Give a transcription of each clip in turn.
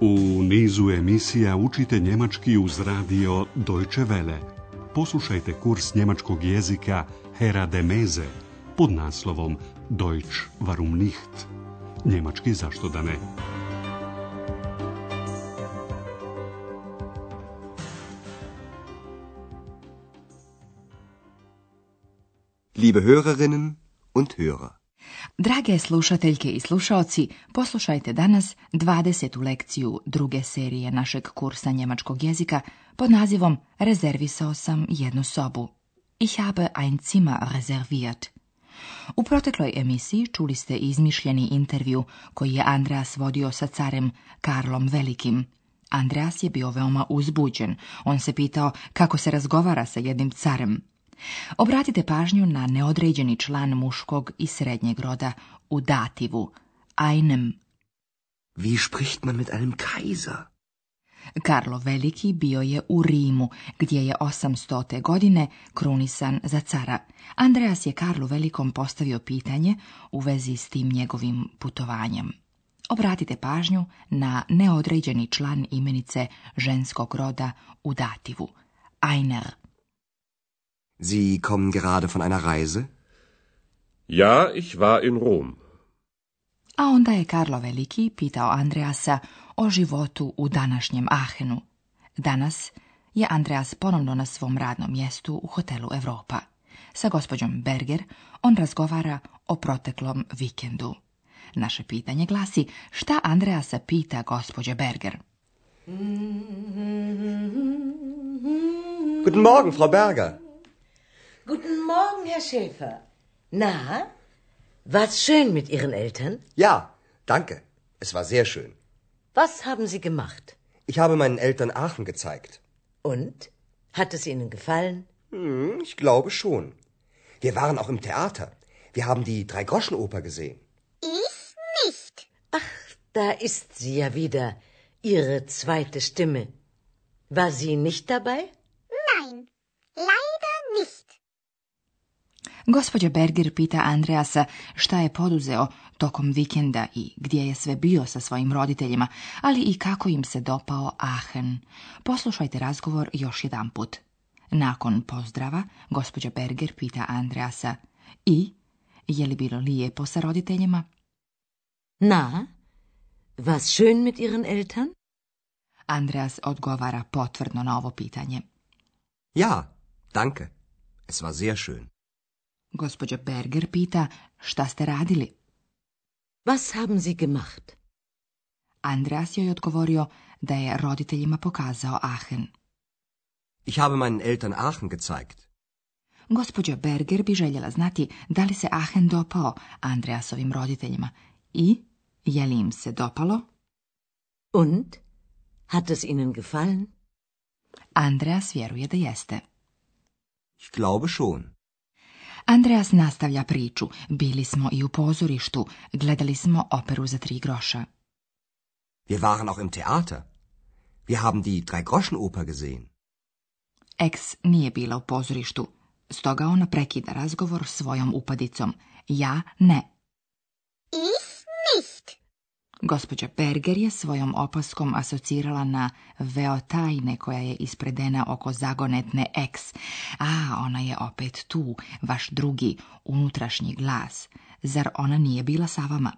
U nizu emisija učite njemački uz radio Deutsche Welle. Poslušajte kurs njemačkog jezika Herra de Meze pod naslovom Deutsch warum nicht? Njemački zašto da ne? Liebe Hörerinnen und Hörer. Drage slušateljke i slušaoci, poslušajte danas 20. lekciju druge serije našeg kursa njemačkog jezika pod nazivom Rezervisao sam jednu sobu. Ich habe ein Zimmer reserviert. U protekloj emisiji čuli ste izmišljeni intervju koji je Andreas vodio sa carem Karlom Velikim. Andreas je bio veoma uzbuđen. On se pitao kako se razgovara sa jednim carem. Obratite pažnju na neodređeni član muškog i srednjeg roda u dativu, einem. Wie spricht man mit einem Kaiser? Karlo Veliki bio je u Rimu, gdje je 800. godine krunisan za cara. Andreas je Karlu Velikom postavio pitanje u vezi s tim njegovim putovanjem. Obratite pažnju na neodređeni član imenice ženskog roda u dativu, einer. Sie kommen gerade von einer Reise? Ja, ich war in Rom. A onda je Karlo Veliki pitao Andreasa o životu u današnjem Aachenu. Danas je Andreas ponovno na svom radnom mjestu u hotelu Europa. Sa gospođom Berger on razgovara o proteklom vikendu. Naše pitanje glasi: šta Andreasa pita gospođe Berger? Guten Morgen, Frau Berger. Guten Morgen, Herr Schäfer. Na, war's schön mit Ihren Eltern? Ja, danke. Es war sehr schön. Was haben Sie gemacht? Ich habe meinen Eltern Aachen gezeigt. Und? Hat es Ihnen gefallen? Ich glaube schon. Wir waren auch im Theater. Wir haben die Drei-Groschen-Oper gesehen. Ich nicht. Ach, da ist sie ja wieder, Ihre zweite Stimme. War sie nicht dabei? Nein, leider nicht. Gospođa Berger pita Andreasa šta je poduzeo tokom vikenda i gdje je sve bio sa svojim roditeljima, ali i kako im se dopao Aachen. Poslušajte razgovor još jedan put. Nakon pozdrava, gospođa Berger pita Andreasa: i, je li bilo lijepo sa roditeljima? Na, war's schön mit Ihren Eltern? Andreas odgovara potvrdno na ovo pitanje. Ja, danke. Es war sehr schön. Gospođa Berger pita: šta ste radili? Was haben Sie gemacht? Andreas joj odgovorio da je roditeljima pokazao Aachen. Ich habe meinen Eltern Aachen gezeigt. Gospođa Berger bi željela znati da li se Aachen dopao Andreasovim roditeljima i je li im se dopalo? Und? Hat es Ihnen gefallen? Andreas vjeruje da jeste. Ich glaube schon. Andreas nastavlja priču. Bili smo i u pozorištu, gledali smo operu za 3 groša. Wir waren auch im Theater. Wir haben die Drei-Groschen-Oper gesehen. Ex nije bila u pozorištu, stoga ona prekida razgovor svojom upadicom. Ja ne. Ich nicht. Gospođa Berger je svojom opaskom asocirala na veo tajne koja je ispredena oko zagonetne ex. A, ona je opet tu, vaš drugi, unutrašnji glas. Zar ona nije bila sa vama?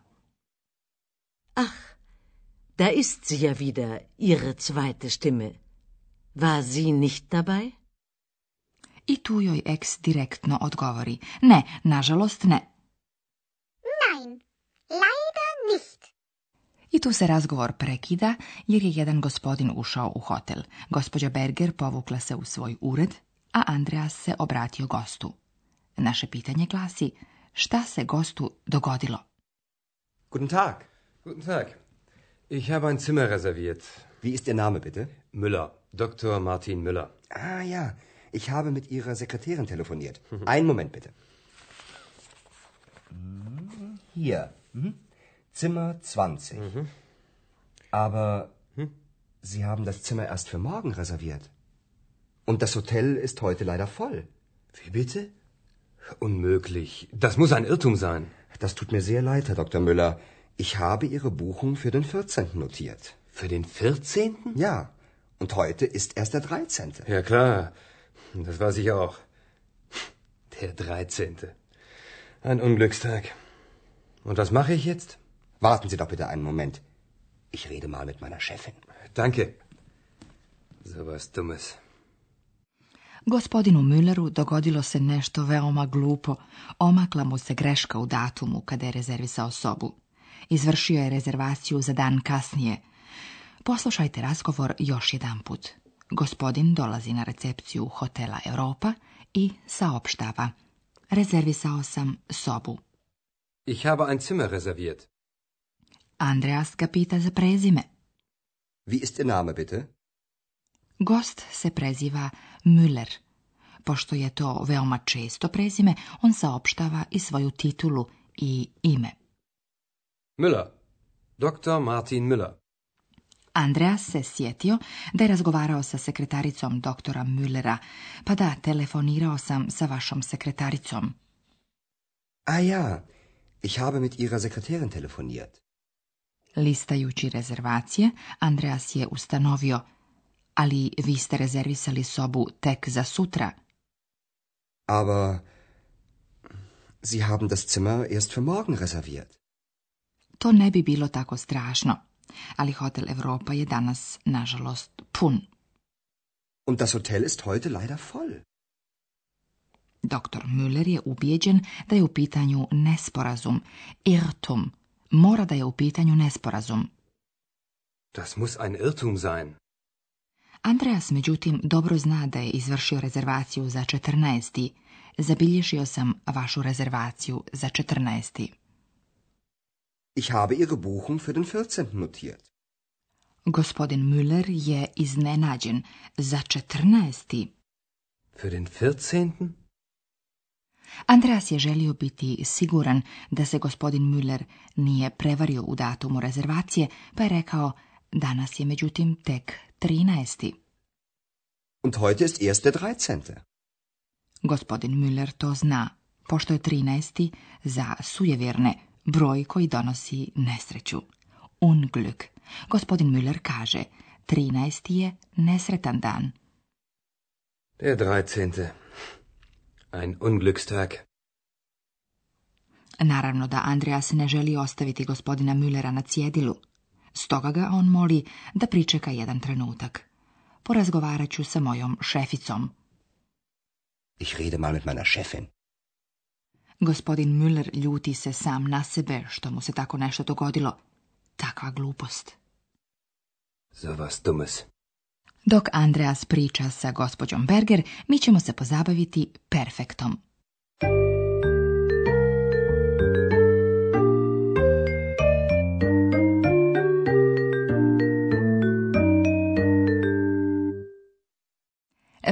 Ach, da ist sie ja wieder, Ihre zweite Stimme. War sie nicht dabei? I tu joj ex direktno odgovori: ne, nažalost ne. Nein, leider nicht. I tu se razgovor prekida jer je jedan gospodin ušao u hotel. Gospođa Berger povukla se u svoj ured, a Andreas se obratio gostu. Naše pitanje glasi: šta se gostu dogodilo? Guten Tag. Guten Tag. Ich habe ein Zimmer reserviert. Wie ist Ihr Name, bitte? Müller. Dr. Martin Müller. Ah ja, ich habe mit Ihrer Sekretärin telefoniert. Einen Moment, bitte. Hier. Zimmer 20. Aber Sie haben das Zimmer erst für morgen reserviert. Und das Hotel ist heute leider voll. Wie bitte? Unmöglich. Das muss ein Irrtum sein. Das tut mir sehr leid, Herr Dr. Müller. Ich habe Ihre Buchung für den 14. notiert. Für den 14.? Ja, und heute ist erst der 13. Ja, klar. Das weiß ich auch. Der 13. Ein Unglückstag. Und was mache ich jetzt? Warten Sie doch bitte einen Moment. Ich rede mal mit meiner Chefin. Danke. So was Dummes. Gospodinu Mülleru dogodilo se nešto veoma glupo. Omakla mu se greška u datumu kada je rezervisao sobu. Izvršio je rezervaciju za dan kasnije. Poslušajte razgovor još jedanput. Gospodin dolazi na recepciju hotela Europa i saopštava. Rezervisao sam sobu. Ich habe ein Zimmer reserviert. Andreas ga pita za prezime. Wie ist Ihr Name, bitte? Gost se preziva Müller. Pošto je to veoma često prezime, on saopštava i svoju titulu i ime. Müller. Dr. Martin Müller. Andreas se sjetio da je razgovarao sa sekretaricom doktora Müllera, pa da, telefonirao sam sa vašom sekretaricom. Ah ja, ich habe mit Ihrer Sekretärin telefoniert. Listajući rezervacije, Andreas je ustanovio, ali vi ste rezervisali sobu tek za sutra. Aber Sie haben das Zimmer erst für morgen reserviert. To ne bi bilo tako strašno, ali hotel Europa je danas, nažalost, pun. Und das Hotel ist heute leider voll. Doktor Müller je ubijeđen da je u pitanju nesporazum. Irrtum. Mora da je u pitanju nesporazum. Das muss ein Irrtum sein. Andreas, međutim, dobro zna da je izvršio rezervaciju za 14. Zabilježio sam vašu rezervaciju za 14. Ich habe Ihre Buchung für den 14. notiert. Gospodin Müller je iznenađen. Za 14. Für den 14.? Andreas je želio biti siguran da se gospodin Müller nije prevario u datumu rezervacije, pa je rekao, danas je međutim tek 13. Und heute ist erst der 13. Gospodin Müller to zna, pošto je 13. za sujevjerne, broj koji donosi nesreću. Unglück. Gospodin Müller kaže, 13. je nesretan dan. Der 13. Ein Unglückstag. Naravno da Andreas ne želi ostaviti gospodina Müllera na cjedilu. Stoga ga on moli da pričeka jedan trenutak. Porazgovarat ću sa mojom šeficom. Ich rede mal mit meiner Chefin. Gospodin Müller ljuti se sam na sebe što mu se tako nešto dogodilo. Takva glupost. So was Dummes. Dok Andreas priča sa gospođom Berger, mi ćemo se pozabaviti perfektom.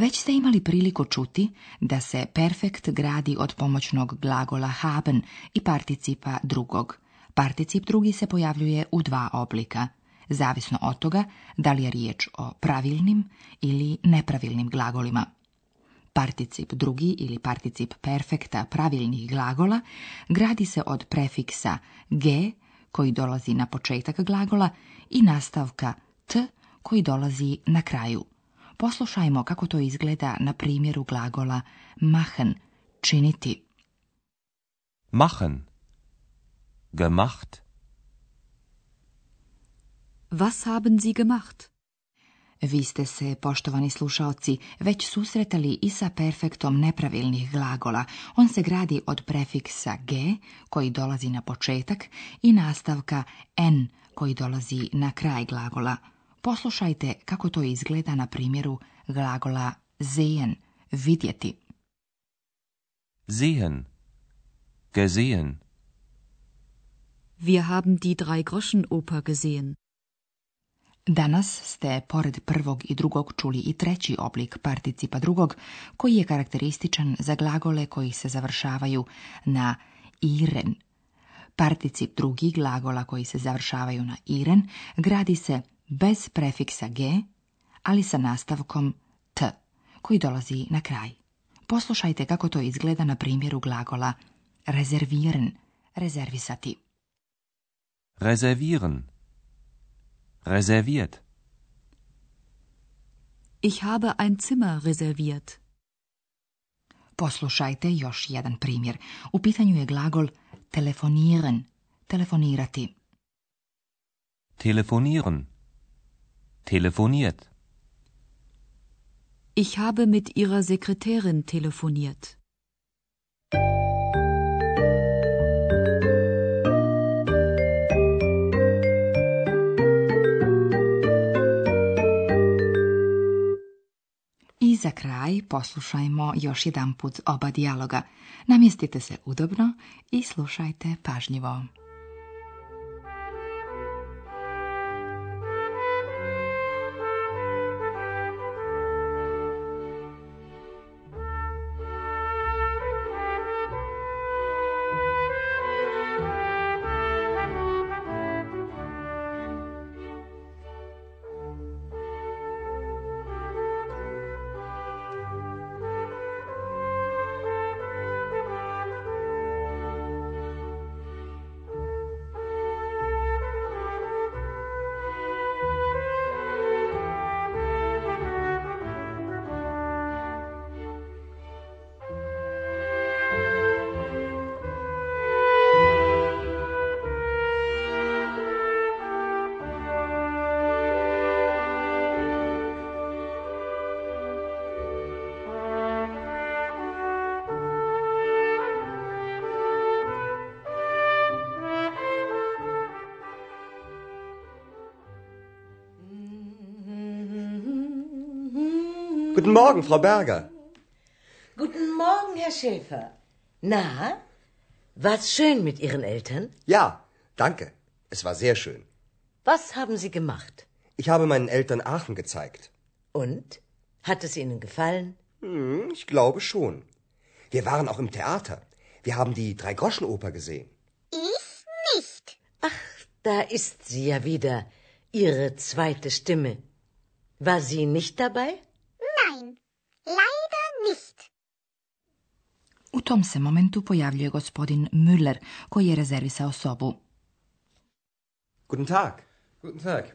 Već ste imali priliku čuti da se perfekt gradi od pomoćnog glagola haben i participa drugog. Particip drugi se pojavljuje u dva oblika, zavisno od toga da li je riječ o pravilnim ili nepravilnim glagolima. Particip drugi ili particip perfekta pravilnih glagola gradi se od prefiksa ge koji dolazi na početak glagola i nastavka t koji dolazi na kraju. Poslušajmo kako to izgleda na primjeru glagola machen, činiti. Machen. Gemacht. Was haben Sie gemacht? Vi ste se, poštovani slušaoci, već susretali i sa perfektom nepravilnih glagola. On se gradi od prefiksa ge, koji dolazi na početak, i nastavka n, koji dolazi na kraj glagola. Poslušajte kako to izgleda na primjeru glagola sehen, vidjeti. Sehen. Gesehen. Wir haben die Drei-Groschen-Oper gesehen. Danas ste pored prvog i drugog čuli i treći oblik participa drugog, koji je karakterističan za glagole koji se završavaju na iren. Particip drugi glagola koji se završavaju na iren gradi se bez prefiksa ge, ali sa nastavkom t, koji dolazi na kraj. Poslušajte kako to izgleda na primjeru glagola reservieren, rezervisati. Reservieren. Reserviert. Ich habe ein Zimmer reserviert. Poslušajte još jedan primjer. U pitanju je glagol telefonieren, telefonirati. Telefonieren. Telefoniert. Ich habe mit ihrer Sekretärin telefoniert. I za kraj poslušajmo još jedanput oba dijaloga. Namjestite se udobno i slušajte pažljivo. Guten Morgen, Frau Berger. Guten Morgen, Herr Schäfer. Na, war's schön mit Ihren Eltern? Ja, danke. Es war sehr schön. Was haben Sie gemacht? Ich habe meinen Eltern Aachen gezeigt. Und? Hat es Ihnen gefallen? Ich glaube schon. Wir waren auch im Theater. Wir haben die Drei-Groschen-Oper gesehen. Ich nicht. Ach, da ist sie ja wieder, Ihre zweite Stimme. War sie nicht dabei? Nein, leider nicht. U tom se momentu pojavljuje gospodin Müller, koji je rezervisao sobu. Guten Tag. Guten Tag.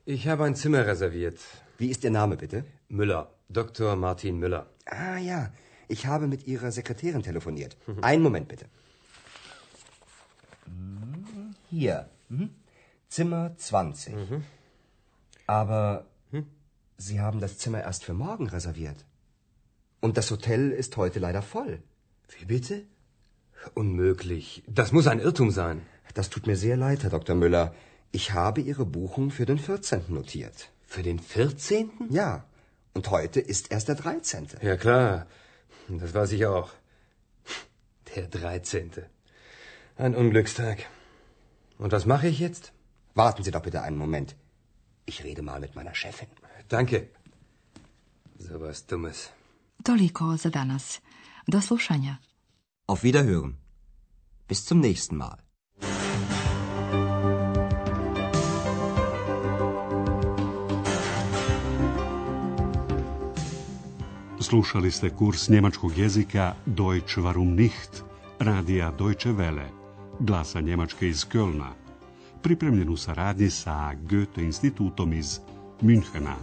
Ich habe ein Zimmer reserviert. Wie ist Ihr Name, bitte? Müller. Dr. Martin Müller. Ah ja, ich habe mit Ihrer Sekretärin telefoniert. Einen Moment, bitte. Hier. Zimmer 20. Aber Sie haben das Zimmer erst für morgen reserviert. Und das Hotel ist heute leider voll. Wie bitte? Unmöglich. Das muss ein Irrtum sein. Das tut mir sehr leid, Herr Dr. Müller. Ich habe Ihre Buchung für den 14. notiert. Für den 14.? Ja, und heute ist erst der 13. Ja, klar. Das weiß ich auch. Der 13. Ein Unglückstag. Und was mache ich jetzt? Warten Sie doch bitte einen Moment. Ich rede mal mit meiner Chefin. Danke. So was Dummes. Toliko za danas. Do slušanja. Auf Wiederhören. Bis zum nächsten Mal. Slušali ste kurs njemačkog jezika Deutsch warum nicht, radija Deutsche Welle, glasa Njemačke iz Kölna, pripremljen u saradnji sa Goethe institutom iz Münchena.